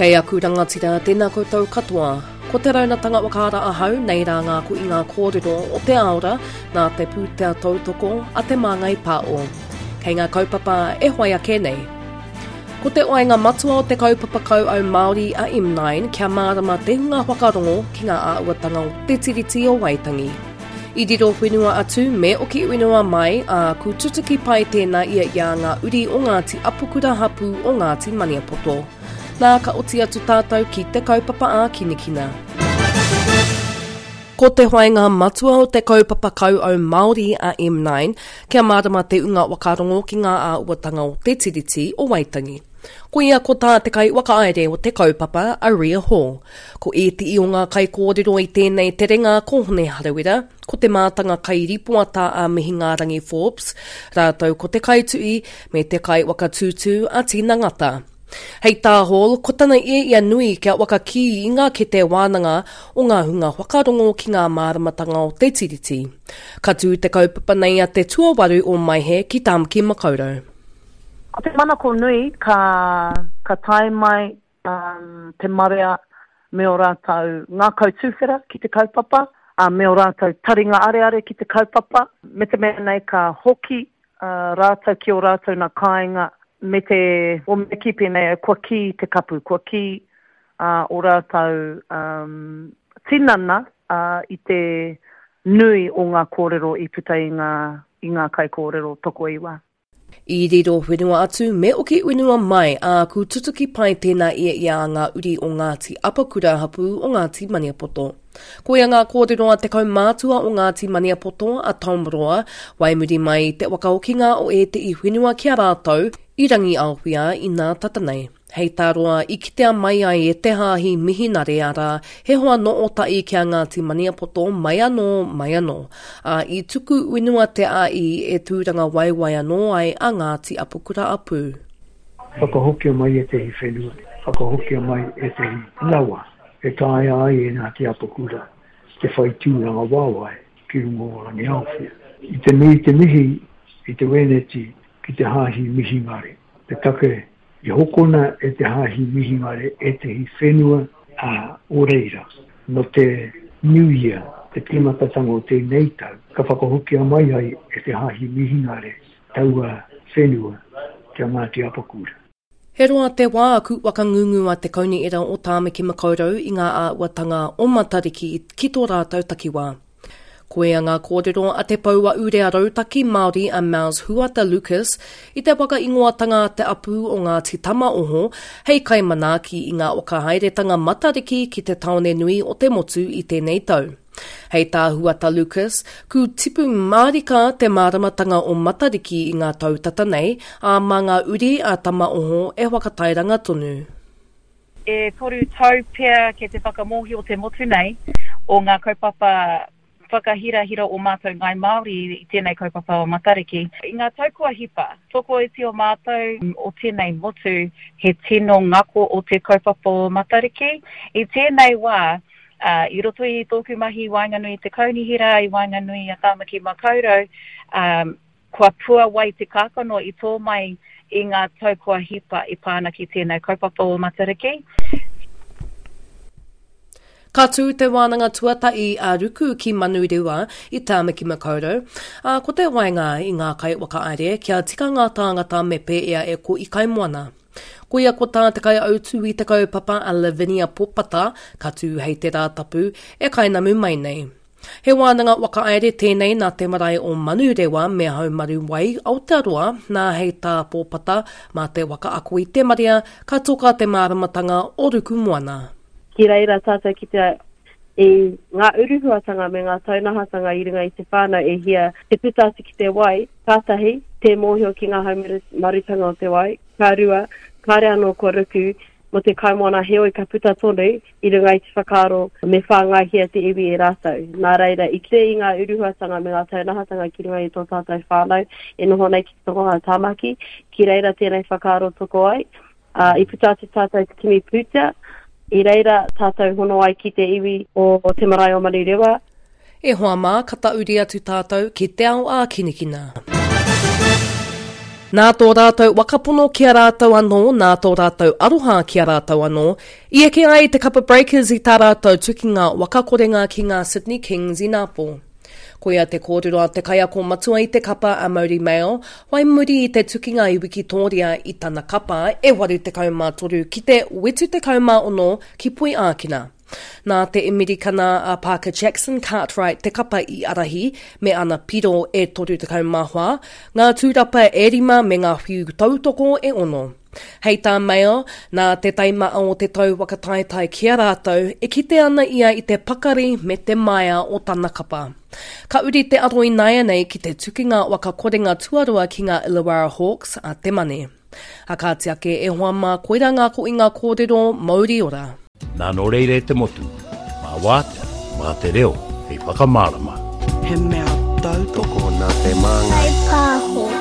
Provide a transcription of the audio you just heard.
Kei aku rangatira, tēnā koutou katoa. Ko te raunatanga whakaara ahau, nei rā ngā ko i ngā kōrero o te aora nā te pūtea tautoko a Te Māngai Pāo. Kei ngā kaupapa e whai ake nei. Ko te oainga matua o te kaupapa kauau Māori a M9 kia mārama te hunga whakarongo ki ngā āhuatanga o Te Tiriti o Waitangi. I riro whenua atu me oki whenua mai, ā, ku tutuki pai tēnā ia i a ngā uri o Ngāti Apakura hapū o Ngāti Maniapoto. Nā, ka oti atu tātou ki te kaupapa ākinakina. Ko te whāinga matua o te kaupapa kauau Māori a M9, kia mārama te unga whakarongo ki ngā āhuatanga o Te Tiriti o Waitangi. Koia ko tā te kaiwhakahaere o te kaupapa, a Ria Hall. Ko ētehi o ngā kaikōrero i tēnei terenga ko Hone Harawira, ko te mātanga kairipoata a Mihingārangi Forbes, rātou ko te kaituhi me te kaiwhakatūtū a Tina Ngata. Hei tā Hall, ko tana ia ia nui kia whakakī i ngā kete wānanga o ngā hunga whakarongo ki ngā māramatanga o te Tiriti. Ka tū te kaupapa nei a te tuawaru o Maehe ki Tāmaki Makaurau. Ko te manako nui ka, ka tae mai um, te marea me ō rātou ngākau tuwhera ki te kaupapa, ā, me ō rātou taringa areare ki te kaupapa, me te mea nei ka hoki rātou ki ō rātou nā kāinga me te, o me kī pēnei au, kua kī te kapu, kua kī ō rātou tinana i te nui o ngā kōrero i puta i ngā, i ngā kaikōrero tokoiwa. I riro whenua atu me oki whenua mai, ā, ku tutuki pai tēnā ia i a ngā uri o Ngāti Apakura hapū o Ngāti Maniapoto. Koia ngā kōrero a te kaumātua o Ngāti Maniapoto, a Tom Roa, wai muri mai i te whakahokinga o ētehi whenua ki a rātou i Rangiaowhia inā tata nei. Hei tā Roa, i kitea mai ai e te Hāhi Mihinare arā, he hoa nō-Ōta'i ki a Ngāti Maniapoto mai anō, mai anō. Ā, i tuku whenua te āi e tūrangawaewae anō ai a Ngāti Apakura-a-Pū. Whakahokia mai ētehi whenua, whakahokia mai ētehi rawa e taea ai e Ngāti Apakura te whai tūrangawaewae ki runga o Rangiaowhia. I te nui te mihi i te Wēneti ki te Hāhi Mihingare, te take I hokona e te Hāhi Mihingare ētehi whenua o reira. Nō te New Year, te tīmatatanga o tēnei tau, ka whakahokia mai ai e te Hāhi Mihingare taua whenua ki a Ngāti Apakura. He roa te wā ku whakangungu a te Kaunihera o Tāmaki Makaurau i ngā āhuatanga o Matariki ki tō rātou takiwā. Koia ngā kōrero a te pouaurea rautaki Māori a Miles Huata Lucas i te whakaingoatanga a te Apu o Ngāti Tamaoho hei kaimanaaki i ngā whakahaeretanga Matariki ki te tāone nui o te motu i tēnei tau. Hei tā Huata Lucas, ku tipu mārika te māramatanga o Matariki i ngā tau tata nei, ā, mā ngā uri a Tamaoho e whakatairanga tonu. E toru tau pea kei te whakamōhio te motu nei o ngā kaupapa whakahirahira o mātou Ngāi Māori i tēnei kaupapa o Matariki. I ngā tau kua hipa, tokoiti o mātou o tēnei motu he tino ngako o te kaupapa o Matariki. I tēnei wā, i roto i tōku mahi i waenganui i te kaunihera, i waenganui i a Tāmaki Makaurau, Kua puawai te kākano i tō mai i ngā tau kua hipa e pā ana ki tēnei kaupapa o Matariki. Ka tū te wānanga tuatahi a Ruku ki Manurewa i Tāmaki Makaurau, ā, ko te waenga i ngā kaiwhakahaere kia tika ngā tāngata me pēea e ko i kaimoana. Koia ko tā te kaiautū i te kaupapa a Lavinia Popata, ka tū hei te Rātapu e kainamu mai nei. He wānanga whakahaere tēnei nā te marae o Manurewa me Haumaru Wai, Aotearoa, nā hei tā Pōpata, mā te waka ako i te marea, ka toka te māramatanga o Rukumoana. Ki reira tātou ki te i ngā uruhuatanga me ngā taunahatanga i runga i te whānau e hia te puta atu ki te wai, ka tahi, tē mōhio ki ngā haumarutanga o te wai, ka rua, kāre anō kua ruku mō te kaimoana heoi ka puta tonu i runga i te whakaaro me whāngaihia te iwi e rātou. Nā reira, i kite i ngā uruhuatanga me ngā taunahatanga ki runga i tō tātou whānau e noho nei ki te Tonga o Tāmaki, ki reira tēnei whakaaro toko ai. Ā, i puta atu tātou te kimi pūtea, i reira tātou hono ai ki te iwi o te marae o Manurewa. E hoa mā, ka tauri atu tātou ki te ao ākinakina. Nā tō rātou wakapono ki a rātou anō, nā tō rātou aroha ki a rātou anō, i eke ai te kapa Breakers i tā rātou tukinga wakakorenga ki ngā Sydney Kings inapō. Koia te kōrero a te kaiako matua i te kapa a Mauri Mail, whai muri i te tukinga i Wikitōria i tana kapa e 83 ki te 76 ki Poiākina. Nā te Amerikana a Parker Jackson Cartwright te kapa i ārahi me ana piro e 34, ngā tūrapa e rima me ngā whiu tautoko e ono. Hei tā Mayo, nā te taimaa o te tau whakataetae ki a rātou, e kite ana ia i te pakari me te maea o tana kapa. Ka uri te aro ināianei ki te tukinga waka korenga tuarua ki ngā Illawarra Hawks a te Mane. A kāti ake e hoa mā koirā ngā koinga kōrero mauri ora. Nā nō reira e te motu, mā wātea, mā te reo hei whakamārama. He mea tautoko nā te māngai. Whaipāho.